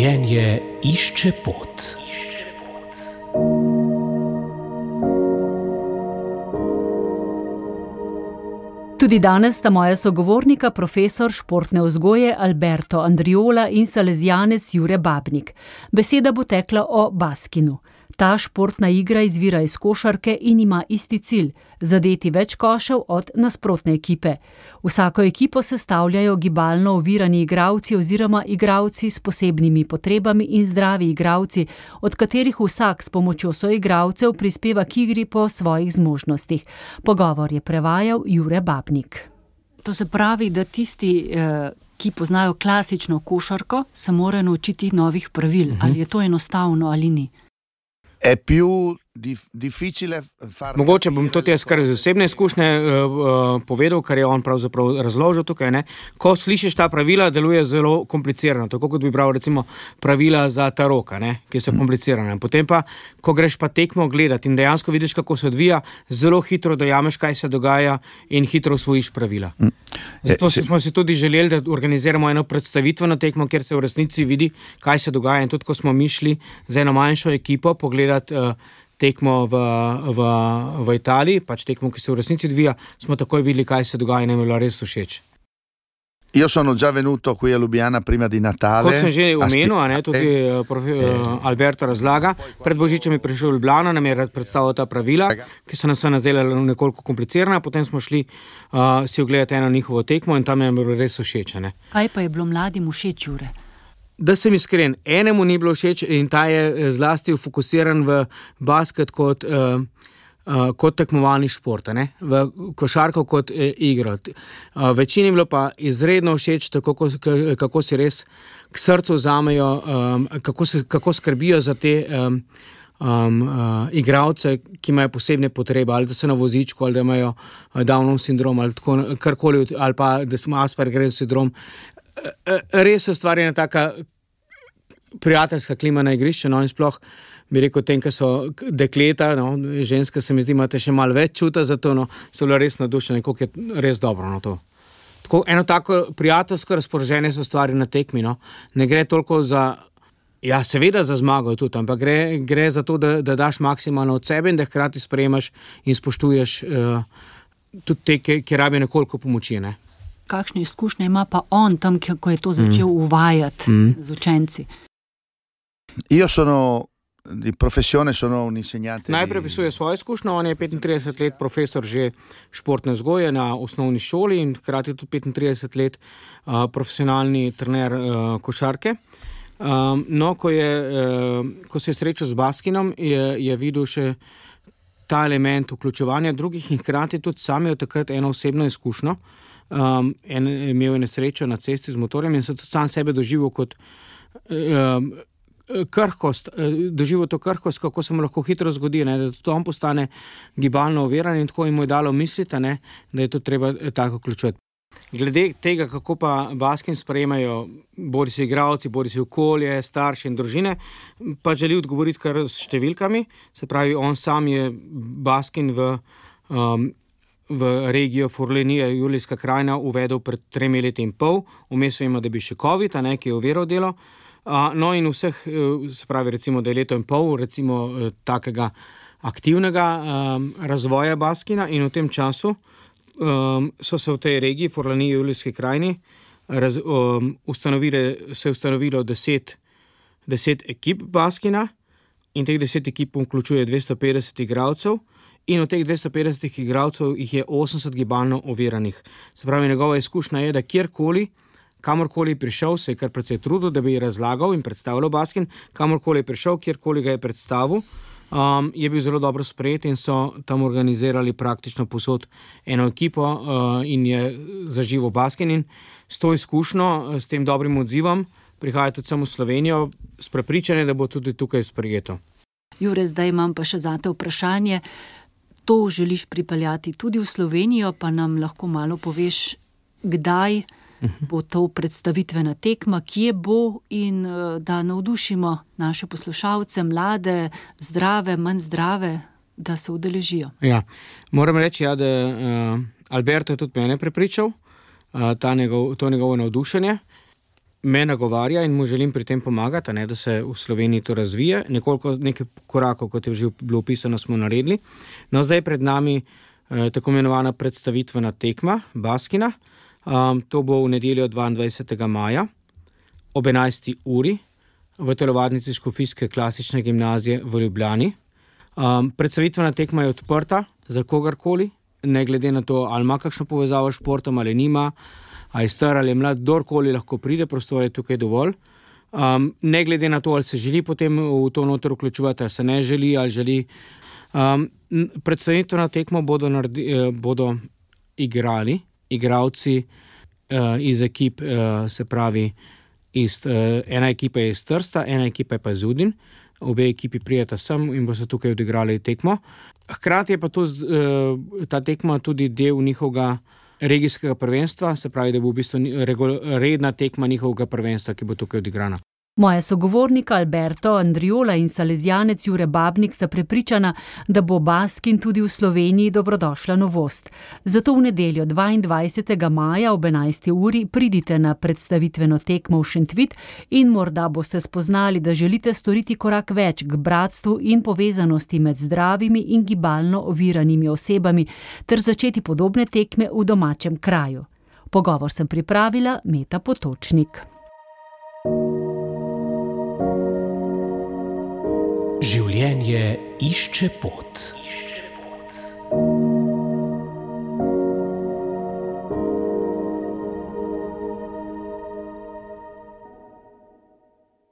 Življenje išče pot. Tudi danes sta moja sogovornika profesor športne vzgoje Alberto Andriola in salezijanec Jure Babnik. Beseda bo tekla o baskinu. Ta športna igra izvira iz košarke in ima isti cilj – zadeti več košev od nasprotne ekipe. Vsako ekipo sestavljajo gibalno ovirani igralci oziroma igralci s posebnimi potrebami in zdravi igralci, od katerih vsak s pomočjo soigralcev prispeva k igri po svojih zmožnostih. Pogovor je prevajal Jure Babnik. To se pravi, da tisti, ki poznajo klasično košarko, se morajo naučiti novih pravil. Ali je to enostavno ali ni? È più difficile fare. Mogoče bom to jaz kar iz osebne izkušnje povedal, kar je on pravzaprav razložil tukaj, ne. Ko slišiš ta pravila, deluje zelo komplicirano, tako kot bi bral recimo pravila za taroka, ne, ki so komplicirane. Potem pa, ko greš pa tekmo gledati in dejansko vidiš, kako se odvija, zelo hitro dojameš, kaj se dogaja in hitro usvojiš pravila. Zato smo si tudi želeli, da organiziramo eno predstavitveno tekmo, kjer se v resnici vidi, kaj se dogaja, in tudi ko smo mi šli za eno manjšo ekipo pogledati tekmo v Italiji, pač tekmo, ki se v resnici odvija, smo takoj videli, kaj se dogaja in nam je bilo res všeč. Io sono già venuto qui a Lubiana prima di Natale. Kot sem že omenil, tudi Alberto razlaga, pred Božičem je prišel v Ljubljano, nam je predstavil ta pravila, ki so nam se nazdela nekoliko komplicirana, potem smo šli si ogledati eno njihovo tekmo in tam je bilo res všeč. Kaj pa je bilo mladim všeč, Jure? Da sem iskren, enemu ni bilo všeč in ta je zlasti fokusiran v basket kot tekmovalni šport, v košarko kot igro. Večini je bilo pa izredno všeč, tako kako si res k srcu vzamejo, kako skrbijo za te igralce, ki imajo posebne potrebe, ali da so na vozičku, ali da imajo Downov sindrom, ali karkoli, ali pa da smo Aspergerjev sindrom. Res ustvarjena taka prijateljska klima na igrišču, in sploh bi rekel tem, ki so dekleta, ženske se mi zdi, imate še malo več čuta za to, so bile res navdušene, koliko je res dobro to. Tako, eno tako prijateljsko razpoloženje se ustvari na tekmi, ne gre toliko za, ja, seveda za zmago tudi, ampak gre za to, da daš maksimalno od sebe in da hkrati sprejemaš in spoštuješ tudi te, ki rabijo nekoliko pomoči, Kakšne izkušnje ima pa on tam, ko je to začel uvajati z učenci? Io sono di professione, sono un insegnante. Najprej opisuje svojo izkušnjo, on je 35 let profesor že športne vzgoje na osnovni šoli in hkrati tudi 35 let profesionalni trener košarke. Ko se je srečal z baskinom, je videl še ta element vključevanja drugih in hkrati tudi sam je takrat eno osebno izkušnjo. Imel je nesrečo na cesti z motorjem in se tudi sam sebe doživel kot krhkost, doživel to krhkost, kako se mu lahko hitro zgodi, da tudi on postane gibalno oviran in tako jim je dalo misliti, da je to treba tako vključevati. Glede tega, kako pa baskin sprejemajo bodi si igralci, bodi si okolje, starši in družine, pa želi odgovoriti kar s številkami. Se pravi, on sam je baskin v regijo Forlanija, Julijska krajina, uvedel pred 3 leti in pol. Vmes vemo, da bi še COVID, ki je oviral delo. In vseh, se pravi, recimo, da je leto in pol, recimo, takega aktivnega razvoja baskina in v tem času so se v tej regiji, Forlanija, Julijski krajini, ustanovilo 10 ekip baskina in teh 10 ekip vključuje 250 igralcev. In od teh 250 igralcev jih je 80 gibalno oviranih. Se pravi, njegova izkušnja je, da kamorkoli prišel, se je kar precej trudil, da bi razlagal in predstavljal baskin, kamorkoli je prišel, kjerkoli ga je predstavil, je bil zelo dobro sprejet in so tam organizirali praktično povsod eno ekipo in je zaživel baskin. In s to izkušnjo, s tem dobrim odzivom, prihaja tudi samo v Slovenijo s prepričanjem, da bo tudi tukaj sprejeto. Jure, zdaj imam pa še zate vprašanje. To želiš pripeljati tudi v Slovenijo, pa nam lahko malo poveš, kdaj bo to predstavitvena tekma, kje bo in da navdušimo naše poslušalce, mlade, zdrave, manj zdrave, da se udeležijo. Ja, moram reči, da Alberto je tudi mene prepričal, to njegovo navdušenje. me nagovarja in mu želim pri tem pomagati, da se v Sloveniji to razvije. Nekaj korakov, kot je že bilo opisano, smo naredili. No, zdaj pred nami tako imenovana predstavitvena tekma Baskina. To bo v nedeljo 22. maja ob 11. uri v telovadnici Škofijske klasične gimnazije v Ljubljani. Predstavitvena tekma je odprta za kogarkoli, ne glede na to, ali ima kakšno povezavo s športom ali nima, ali je star ali je mlad, kdorkoli lahko pride, prostor je tukaj dovolj. Ne glede na to, ali se želi potem v to noter vključevati, ali se ne želi, ali želi. Predstavitvena tekmo bodo igrali igralci iz ekip, se pravi, ena ekipa je iz Trsta, ena ekipa je pa iz Udin. Obe ekipi prijeta sem in bo se tukaj odigrali tekmo. Hkrati je pa ta tekma tudi del njihovega regijskega prvenstva, se pravi, da bo v bistvu redna tekma njihovega prvenstva, ki bo tukaj odigrana. Moja sogovornika Alberto Andriola in salezijanec Jure Babnik sta prepričana, da bo Baskin tudi v Sloveniji dobrodošla novost. Zato v nedeljo 22. maja ob 11. uri pridite na predstavitveno tekmo v Šentvid in morda boste spoznali, da želite storiti korak več k bratstvu in povezanosti med zdravimi in gibalno oviranimi osebami ter začeti podobne tekme v domačem kraju. Pogovor sem pripravila Meta Potočnik. Življenje išče pot.